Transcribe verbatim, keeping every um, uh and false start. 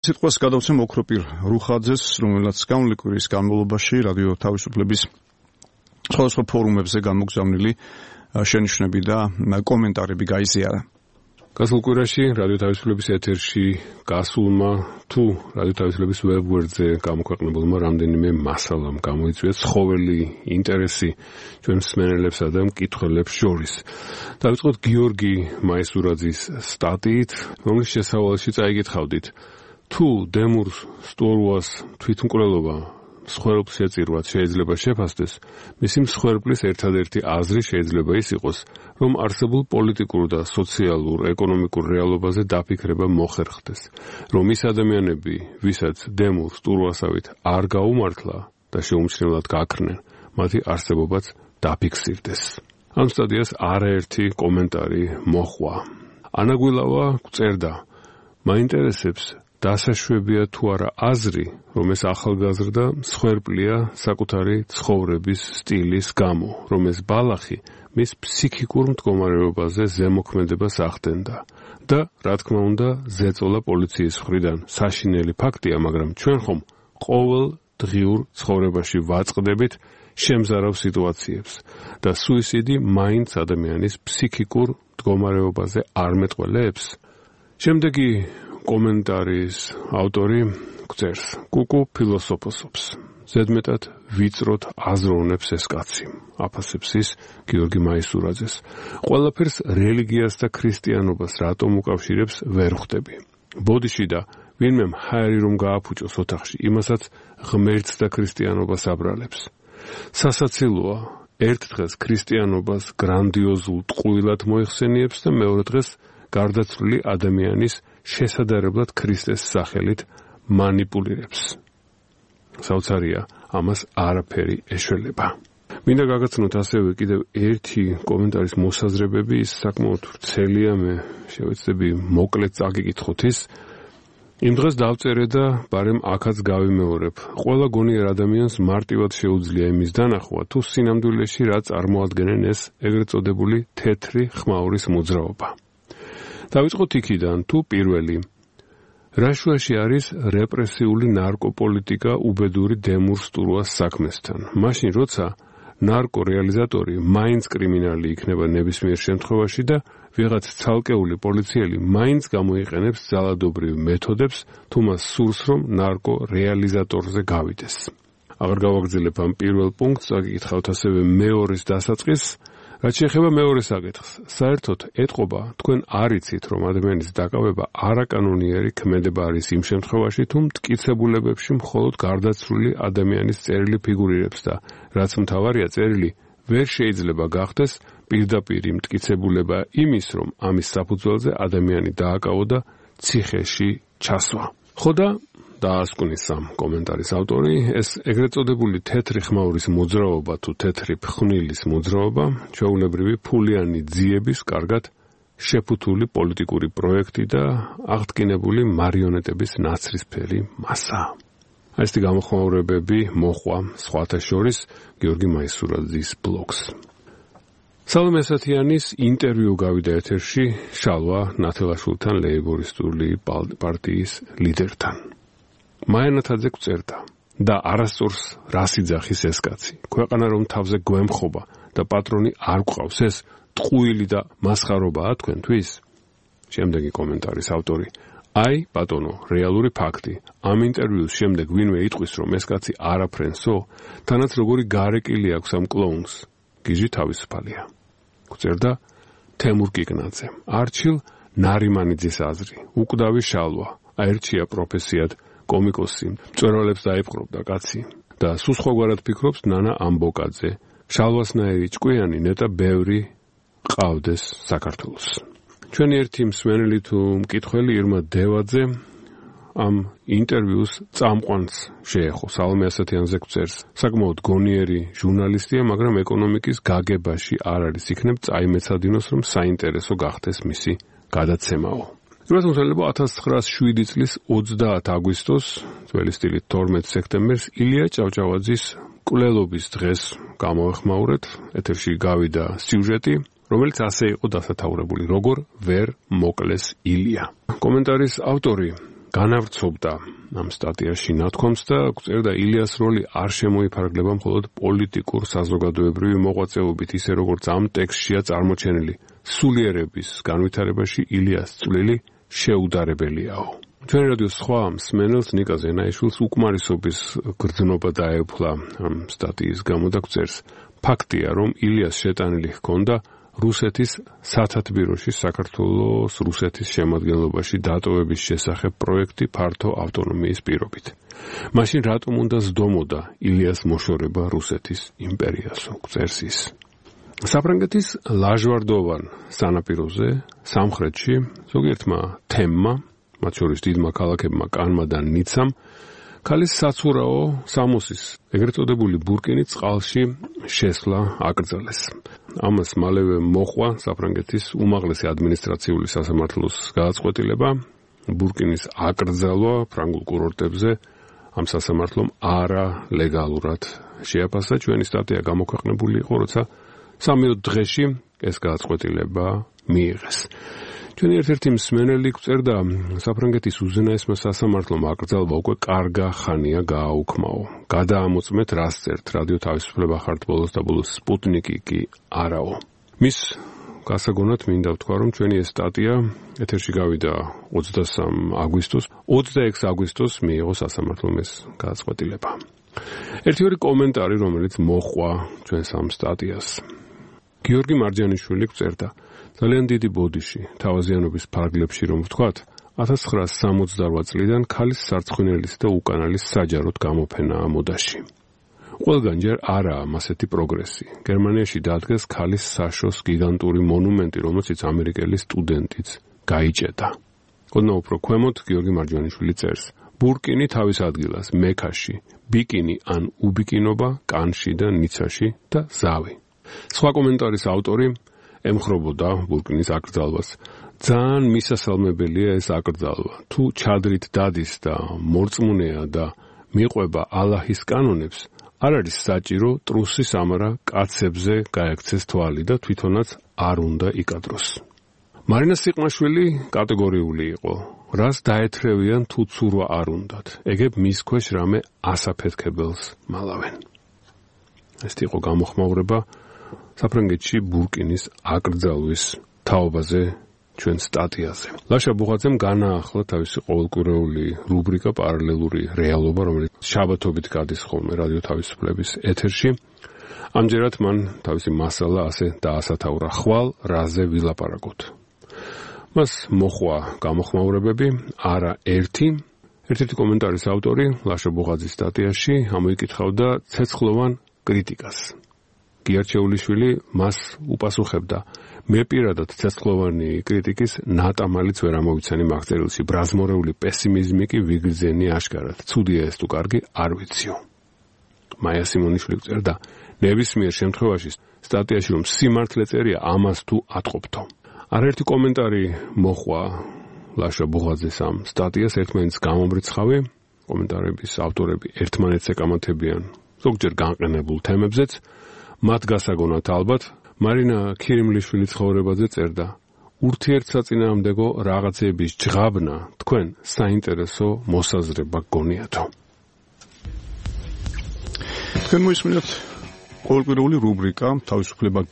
სიტყვას გადავცემ ოქროპირ რუხაძეს, რომელსაც გამული კვირის განმავლობაში რადიო თავისუფლების სხვადასხვა ფორუმებზე გამოგზავნილი შენიშვნები და კომენტარები გაიზიარა. გასულ კვირაში რადიო თავისუფლების ეთერში გასულმა თუ რადიო თავისუფლების ვებგვერდზე გამოქვეყნებულმა რამდენიმე მასალამ გამოიწვია ცხოველი ინტერესი ჩვენ მსმენელებსა და მკითხველებს შორის. დავიწყოთ გიორგი მაისურაძის სტატიით, რომლის შესავალში წაიგითხავდით. თუ დემურ სტურუას თვითმკვლელობა მსხვერპლს შეწირვად შეიძლება შეფასდეს, მისი მსხვერპლის ერთადერთი აზრი შეიძლება ის იყოს, რომ არსებულ პოლიტიკურ და სოციალურ, ეკონომიკურ რეალობაზე დაფიქრება მოხერხდეს, რომ ის ადამიანები, ვისაც დემურ სტურუასავით არ გაუმართლა და შეუმჩნევლად გაქრნენ, მათი არსებობაც დაფიქსირდეს. ამ სტატიას არაერთი კომენტარი მოჰყვა. ანაგვილავა გწერდა, მაინტერესებს დასაშვებია თუ არა აზრი, რომ ეს ახალგაზრდა მსხვერპლია საკუთარი ცხოვრების სტილის გამო, რომ ეს ბალახი მის ფსიქიკურ მდგომარეობაზე ზემოქმედებას ახდენდა და, რა თქმა უნდა, ზეწოლა პოლიციის მხრიდან საშინელი ფაქტია, მაგრამ ჩვენ ხომ ყოველ დღიურ ცხოვრებაში ვაწყდებით შემზარავ სიტუაციებს და სუიციდი მაინც ადამიანის ფსიქიკურ მდგომარეობაზე არ მეტყველებს. შემდეგი კომენტარის ავტორი გწერს, კუკუ ფილოსოფოსობს. ზედმეტად ვიწროთ აზროვნებს ეს კაცი, აფასებს ის გიორგი მაისურაძეს. ყველაფერს რელიგიას და ქრისტიანობას რატომ უკავშირებს ვერ ხვდები. ბოდიში და ვინმე მჰარი რომ გააფუჭოს ოთახში, იმასაც ღმერთს და ქრისტიანობას აბრალებს. სასაცილოა, ერთ დღეს ქრისტიანობას გრანდიოზულ ტყუილად მოიხსენიებს და მეორე დღეს გარდაცვლილი ადამიანის შესადარებლად ქრისტეს სახელით მანიპულირებს. საოცარია, ამას არაფერი ეშველება. მინდა გაგაცნოთ ასევე კიდევ ერთი კომენტარის მოსაზრებები, ის საკმაოდ ვრცელია, მე შევეცდები მოკლედ წაგიკითხოთ ის. იმ დღეს დავწერე და ბარემ აქაც გავიმეორებ. ყველა გონიერ ადამიანს მარტივად შეუძლია იმის დანახვა, თუ სინამდვილეში რა წარმოადგენენ ეს ეგრეთ წოდებული თეთრი ხმაურის მოძრაობა. დავიწყოთ იქიდან, თუ პირველი. რა შუაში არის რეპრესიული ნარკოპოლიტიკა უბედური დემურ სტურუას საქმესთან? მაშინ, როცა ნარკორეალიზატორი მაინც კრიმინალი იქნება ნებისმიერ შემთხვევაში და ვიღაც ცალკეული პოლიციელი მაინც გამოიყენებს ძალადობრივ მეთოდებს, თუ მას სურს, რომ ნარკორეალიზატორზე გავიდეს. აღარ გავაგრძელებ ამ პირველ პუნქტს, წაგიკითხავთ ასევე მეორის დასაწყისს. რაც შეეხება მეორე საკითხს, საერთოდ ეტყობა, თქვენ არ იცით, რომ ადამიანის დაკავება არაკანონიერი ქმედება არის იმ შემთხვევაში, თუ მტკიცებულებებში მხოლოდ გარდაცვლილი ადამიანის წერილი ფიგურირებს და რაც მთავარია, წერილი ვერ შეიძლება გახდეს პირდაპირი მტკიცებულება იმის, რომ ამის საფუძველზე ადამიანი დააკავო და ციხეში ჩასვა. ხო და დაასკვნის ამ კომენტარის ავტორი, ეს ეგრეთ წოდებული თეთრი ხმაურის მოძრაობა თუ თეთრი ფხვნილის მოძრაობა, ჩვეულებრივი ფულიანი ძიების კარგად შეფუთული პოლიტიკური პროექტი და აღდგინებული მარიონეტების ნაცრისფერი მასა. ასეთი გამოხმაურებები მოჰყვა სხვათა შორის გიორგი მაისურაძის ბლოგს. სალომე ასათიანის ინტერვიუ გავიდა ეთერში შალვა ნათელაშვილთან, ლეიბორისტული პარტიის ლიდერთან. მაიანათაძე გწერდა და არასწორს რას იძახის ეს კაცი. ქვეყანა რომ თავზე გვემხობა და პატრონი არ გვყავს, ეს ტყუილი და მასხარობაა თქვენთვის? შემდეგი კომენტარის ავტორი. აი, ბატონო, რეალური ფაქტი. ამ ინტერვიუს შემდეგ ვინმე იტყვის, რომ ეს კაცი არაფრენსო, თანაც როგორი გარეკილი აქვს ამ კლოუნს. გიჟი თავისუფალია. გწერდა თემურ კიკნაძე. არჩილ ნარიმანიძის აზრი. უკვდავი შალვა. აერჩია პროფესიად კომიკოსი, მწვერვალებს დაიპყრობდა კაცი და სულ სხვაგვარად ფიქრობს ნანა ამბოკაძე. შალვასნაირი ჭკვიანი ნეტა ბევრი ყავდეს საქართველოს. ჩვენი ერთი მსმენელი თუ მკითხველი ირმა დევაძე ამ ინტერვიუს წამყვანს შეეხო. სალომე ასათიანზე გწერს, საკმაოდ გონიერი ჟურნალისტია, მაგრამ ეკონომიკის გაგებაში არ არის, იქნებ წაიმეცადინოს, რომ საინტერესო გახდეს მისი გადაცემაო. რუსულელებო ათას ცხრაას შვიდი წლის ოცდაათ აგვისტოს, ძველი სტილით თორმეტ სექტემბერს ილია ჭავჭავაძის მკვლელობის დღეს გამოეხმაურეთ. ეთერში გავიდა სიუჟეტი, რომელიც ასე იყო დასათაურებული, როგორ ვერ მოკლეს ილია. კომენტარის ავტორი განავრცობდა ამ სტატიაში ნათქვამს და წერდა ილიას როლი არ შემოიფარგლება მხოლოდ პოლიტიკურ საზოგადოებრივი მოღვაწეობით, ისე როგორც ამ ტექსტშია წარმოჩენილი. სულიერების განვითარებაში ილიას წვლილი შეუდარებელიაო. ჩვენი რადიოს სხვა მსმენელს ნიკა ზენაიშვილს უკმარისობის გრძნობა დაეუფლა ამ სტატიის გამო და წერს. ფაქტია, რომ ილიას შეტანილი ჰქონდა რუსეთის სათათბიროში საქართველოს რუსეთის შემადგენლობაში დატოვების შესახებ პროექტი ფართო ავტონომიის პირობით. მაშინ რატომ უნდა ზდომოდა ილიას მოშორება რუსეთის იმპერიასო, წერს ის. საფრანგეთის ლაჟვარდოვან სანაპიროზე, სამხრეთში, ზოგიერთმა თემმა, მათ შორის დიდმა ქალაქებმა კანმა და ნიცამ, ქალის საცურაო სამოსის, ეგრეთ წოდებული ბურკინის წყალში შესვლა აკრძალეს. ამას მალევე მოჰყვა საფრანგეთის უმაღლესი ადმინისტრაციული სასამართლოს გადაწყვეტილება, ბურკინის აკრძალვა ფრანგულ კურორტებზე ამ სასამართლომ არა ლეგალურად შეაფასა. ჩვენი სტატია გამოქვეყნებული იყო, როცა სამიო დღეში ეს გადაწყვეტილება მიიღეს. ჩვენი ერთ-ერთი მსმენელი წერდა, საფრანგეთის უზენაესმა სასამართლომ აკრძალვა უკვე კარგა ხანია გააუქმაო. გადაამოწმეთ, რას წერთ, რადიო თავისუფლება ხართ ბოლოს და ბოლოს სპუტნიკი კი არაო. მის გასაგონად მინდა ვთქვა, რომ ჩვენი ეს სტატია ეთერში გავიდა ოცდასამ აგვისტოს, ოცდაექვსი აგვისტოს მიიღო სასამართლომ ეს გადაწყვეტილება. ერთი ორი კომენტარი, რომელიც მოჰყვა ჩვენს ამ სტატიას. გიორგი მარჯანიშვილი წერდა, ძალიან დიდი ბოდიში, თავაზიანობის ფარგლებში რომ ვთქვათ, ათას ცხრაასი სამოცდარვა წლიდან ქალის სარცხვინელის და უკანალის საჯაროდ გამოფენაა მოდაში. ყველგან ჯერ არაა მასეთი პროგრესი. გერმანიაში დადგეს ქალის საშოს გიგანტური მონუმენტი, რომელშიც ამერიკელი სტუდენტიც გაიჭედა. ოდნავ უფრო ქვემოთ გიორგი მარჯანიშვილი წერს, ბურკინი თავის ადგილას მექაში, ბიკინი ან უბიკინობა კანში და ნიცაში და ზავი. სხვა კომენტარის ავტორი ემხრობოდა ბურკინის აკრძალვას. ძალიან მისასალმებელია ეს აკრძალვა. თუ ჩადრით დადის და მორწმუნეა და მიყვება ალაჰის კანონებს, არ არის საჭირო ტრუსის ამარა კაცებზე გაექცეს თვალი და თვითონაც არ უნდა იკადროს. მარინა სიყმაშვილი კატეგორიული იყო. რას დაეთრევიან თუ ცურვა არ უნდათ. ეგებ მის ქვეშ რამე ასაფეთქებელს მალავენ. ეს იყო გამოხმაურება საფრანგეთში ბურკინის აკრძალვის თაობაზე ჩვენ სტატიაზე. ლაშა ბუღაძემ განაახლა თავისი ყოველკვირეული რუბრიკა პარალელური რეალობა, რომელიც შაბათობით გადის ხოლმე რადიო თავისუფლების ეთერში. ამჯერად მან თავისი მასალა ასე დაასათაურა, ხვალ რაზე ვილაპარაკოთ. მას მოხვა გამოხმაურებები, არა ერთი. ერთ-ერთი კომენტარის ავტორი ლაშა ბუღაძის სტატიაში ამოიკითხავდა ცეცხლოვან კრიტიკას. გიარჩეულიშვილი მას უპასუხებდა, მე პირადად ცეცხლოვანი კრიტიკის ნატამალიც ვერ ამოვიცანი მაგწერილში, ბრაზმორეული პესიმიზმი კი ვიგრძენი აშკარად. ცუდია ეს თუ კარგი, არ ვიციო. მაია სიმონიშვილი წერდა, ნებისმიერ შემთხვევაში სტატიაში რომ სიმართლე წერია, ამას თუ ატყობთო. არაერთი კომენტარი მოჰყვა ლაშა ბუღაძეს ამ სტატიას, ერთმანეთს გამომრიცხავი, კომენტარების ავტორები ერთმანეთს ეკამათებიან ზოგჯერ განყენებულ თემებზეც. მათ გასაგონად ალბათ მარინა ქირიმლიშვილი ცხოვრებაზე წერდა, ურთიერთსაწინააღმდეგო რაღაცების ჯღაბნა თქვენ საინტერესო მოსაზრება გონიათო. თქვენ მოისმინეთ ყოველკვირეული რუბრიკა თავისუფლება